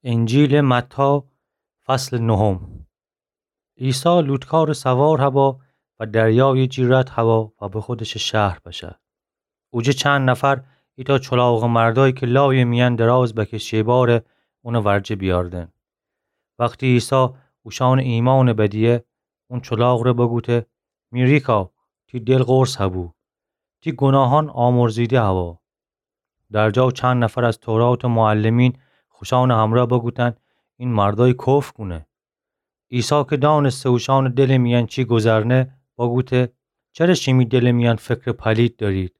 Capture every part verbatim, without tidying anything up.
انجیلٚ متی، فصلٚ نهم. عیسی لوطکارٚ سوار هبا و دریایٚ جی رد هبا و به خودشٚ شهر بشه. اوجه چند نفر ایتأ چلاغٚ مردأیی کی لایٚ میأن دراز بکشه باره اونٚ ورجه بیاردن. وختی عیسی اوشأنٚ ایمأنَ بدیه، اون چلاغٚ ره بگوته: می ریکا، تی دل قرص هبو، تی گوناهأن آمرزیده هوا. در جا چند نفر از توراتٚ معلمین خوشأنٚ همرأ بگوتن: این مردأیی کفر کونه. عیسی کی دأنسته اوشأنٚ دلٚ میأن چی گذرنه، بگوته: چره شیمی دلٚ میأن فکرٚ پلید دأرید؟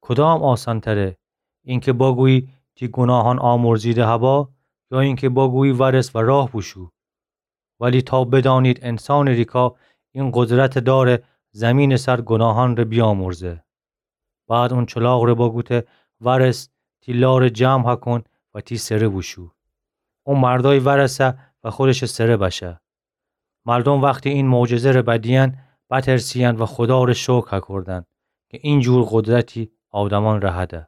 کدام آسان‌تره، اینکی بگویی تی گوناهأن آمرزیده هبا، یا اینکی بگویی ورس و راه بوشو؟ ولی تا بدأنید انسانٚ ریکا این قدرتَ داره زیمینٚ سر گوناهأن ره بیامرزه. بعد اون چلاغٚ ره بگوته: ورس، تی لارَ جمع هکون و تی سره بوشو. اون مردأیی ورسه و خودشٚ سره بشه. مردوم وختی این معجزه ره بدیین، بترسیین و خودا ره شکر هکردن کی این جور قدرتی آدمأن ره هده.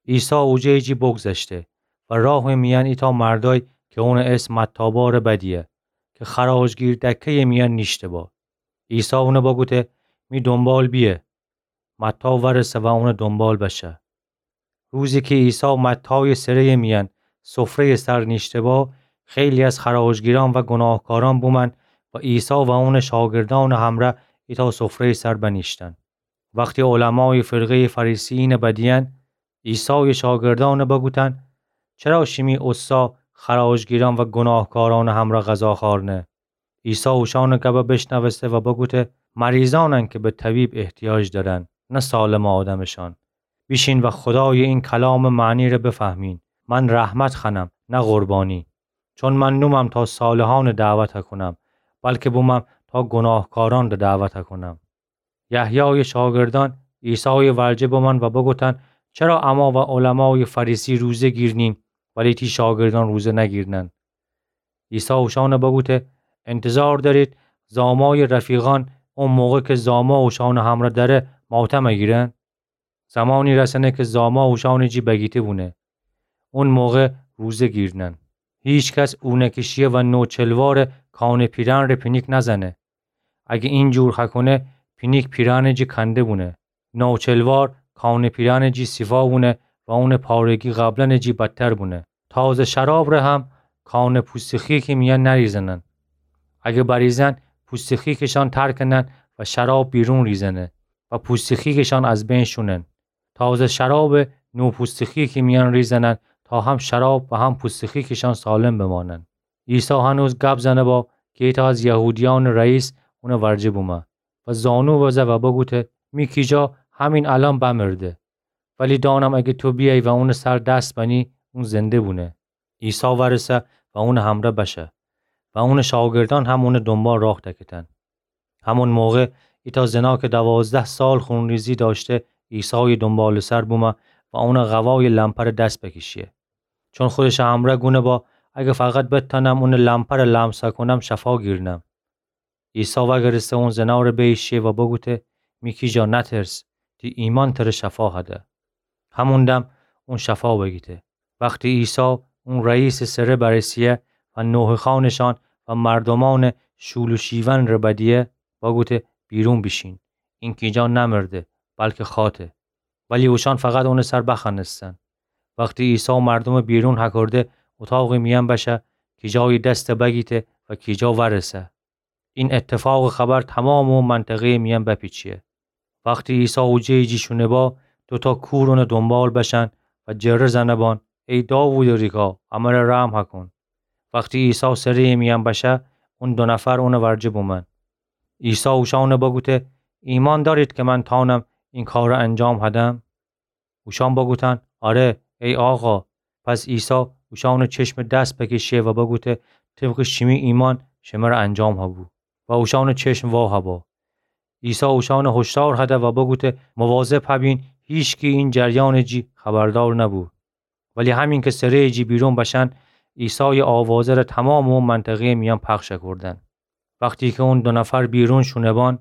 عیسی اوجه‌یٚ جی بگذشته و راهٚ میأن ایتأ مردأیی کی اونٚ اسم متی با ره بدیه، کی خراجگیر دکه‌یٚ میأن نیشته با. عیسی اونَ بگوته: می دونبال بیه. متی ورسه و اونٚ دونبال بشه. روزی کی عیسی متی‌یٚ سره‌یٚ میأن سفره‌یٚ سر نیشته با، خیلی از خراجگیرأن و گوناهکارأن بومأن و عیسی و اونٚ شاگردأنٚ همرأ ایتأ سفره‌یٚ سر بنیشتن. وختی علمایٚ فرقه‌یٚ فریسی‌یأنَ بدیین، عیسایٚ شاگردأنَ بگوتن: چرا شیمی اوستا خراجگیرأن و گوناهکارأنٚ همرأ غذا خأرنه؟ عیسی اوشأنٚ گبَ بشنوسته و بگوته: مریضأنن کی به طبیب احتیاج دأرن، نه سالمٚ آدمشأن. بیشین و خودایٚ این کلامٚ معنی ره بفهمین. من رحمت خوأنم، نه قربانی. چون من نومم تا صالحأنَ دعوت کونم، بلکی بومم تا گوناهکارأنَ دعوت کونم. یحیایٚ شاگردأن عیسایٚ ورجه بمأن و بگوتن: چرا اما و علمایٚ فریسی روزه گیرنیم، ولی تی شاگردأن روزه نگیرنن؟ عیسی اوشأنَ بگوته: انتظار دأرید زامایٚ رفیقأن اون موقع کی زاما اوشأنٚ همرأ دأره ماتم گیرن؟ زمانی رسنه کی زاما اوشأنٚ جی بگیته بونه، اون موقع روزه گیرنن. هیکس اونکشیه و نوچلوارٚ کانٚ پیرهن ره پینیک نزنه. اگه این جور هکونه، پینیک پیرهنٚ جی کنده بونه. نوچلوار کانٚ پیرهنٚ جی سیفا بونه و اونٚ پارگی قبلاً جی بدتر بونه. تازه شراب ره هم کانٚ پوستٚ خیکٚ میأن نریزنن. اگه بریزن، پوستٚ خیکٚشأن تر کنن و شراب بیرون ریزنه و پوستٚ خیکٚشأن از بین شونن. تازه شرابَ نو پوستٚ خیکٚ میأن ریزنن تا هم شراب و هم پوستٚ خیکٚشأن سالم بمانن. عیسی هنوز گب زنه با کی ایتأ از یهودیأنٚ رئیس اونٚ ورجه بومه و زانو بزه و بگوته: می کیجا همین الأن بمرده. ولی دأنم اگه تو بیأیی و اونٚ سر دس بنی، اون زنده بونه. عیسی ورسه و اونٚ همرأ بشه و اونٚ شاگردأن هم اونٚ دونبال راه دکتن. همون موقع ایتأ زنا کی دوازده سال خونریزی دأشته، عیسایٚ دونبالٚ سر بومه و اونٚ قوایٚ لمپرٚ دس بکشیه. چون خودشٚ همرأ گونه با: اگه فقط بتأنم اونٚ لمپرَ لمس کونم، شفا گیرنم. عیسی وأگرسته اون زناره بیشیه و بگوته: می کیجا، نترس، تی ایمأن تره شفا هده. همون دم اون شفا بگیته. وختی عیسی اون رئیسٚ سره برسیه و نوحه‌خوأنشأن و مردومأنٚ شول و شیون ره بدیه، بگوته: بیرون بیشین، این کیجا نمرده، بلکی خأته. ولی اوشأن فقط اونٚ سر بخوأنستن. وختی عیسی مردومٚ بیرون هکرده اوطاقٚ میأن بشه، کیجایٚ دستَ بگیته و کیجا ورسه. این اتفاقٚ خبر تومامٚ او منطقه‌یٚ میأن بپیچیه. وختی عیسی اوجه‌یٚ جی شونه با، دوتأ کور اونٚ دونبال بشن و جره زنه بان: ای داوودٚ ریکا، امره رحم هکون. وختی عیسی سره‌یٚ میأن بشه، اون دو نفر اونٚ ورجه بومن. عیسی اوشأنَ بگوته: ایمأن دأرید کی من تأنم این کارَ انجام هدم؟ اوشأن بگوتن: آره، ای آقا. پس عیسی اوشأنٚ چشمٚ دس بکشه و بگوته: طبقٚ شیمی ایمأن شمره انجام هبو. و اوشأنٚ چشم وا هبا. عیسی اوشأنَ هشدار هده و بگوته: مواظب هبین هیچکی این جریانٚ جی خبردار نبو. ولی همین کی سره‌یٚ جی بیرون بشن، عیسایٚ آوازه‌ره تومامٚ او منطقه‌یٚ میأن پخش کودن. وختی کی اون دو نفر بیرون شونه بان،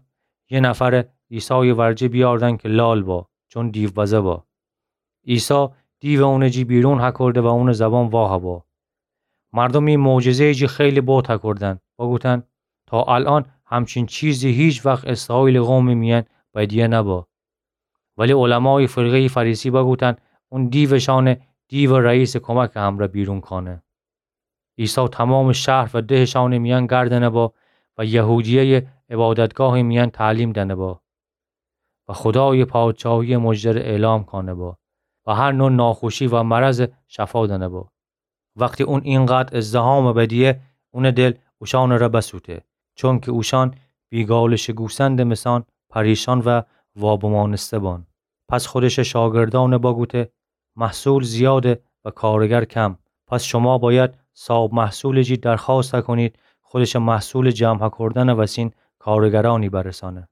یه نفرَ عیسایٚ ورجه بیاردن کی لال با، چون دیوبزه با. عیسی دیوَ اونٚ جی بیرون هکرده و اونٚ زبان وا هبا. مردوم ای معجزه‌یی جی خیلی بهت هکردن، بوگوتن: تا الأن همچین چیزی هیچ وقت اسرائیلٚ قومٚ میأن بدیه نبا. ولی علمایٚ فرقه‌یٚ فریسی بوگوتن: اون دیو شأنه دیو رئیسٚ کمکٚ همرأ بیرون کأنه. عیسی تومامٚ شهر و دهٚ شأنٚ میأن گردنه با و یهودیه‌یٚ عبادتگاهٚ میأن تعلیم دأنه با و خودایٚ پادشاهی مژده‌ره اعلام کأنه با و هر نوع ناخوشی و مرض شفا دأنه با. وختی اون اینقدر ازدحامٚ بدیه، اونٚ دل اوشأنٚره بسوته، چونکی اوشأن بیگالٚ شٚ گوسندٚ مسأن پریشان و وابمأنسته بان. پس خودشٚ شاگردأنٚ بوگوته: محصول زیاده و کارگر کم. پس شما بأید صاب محصولٚ جی درخوأست هکونید خودشٚ محصولٚ جمع هکردنٚ وسین کارگرأنی برسأنه.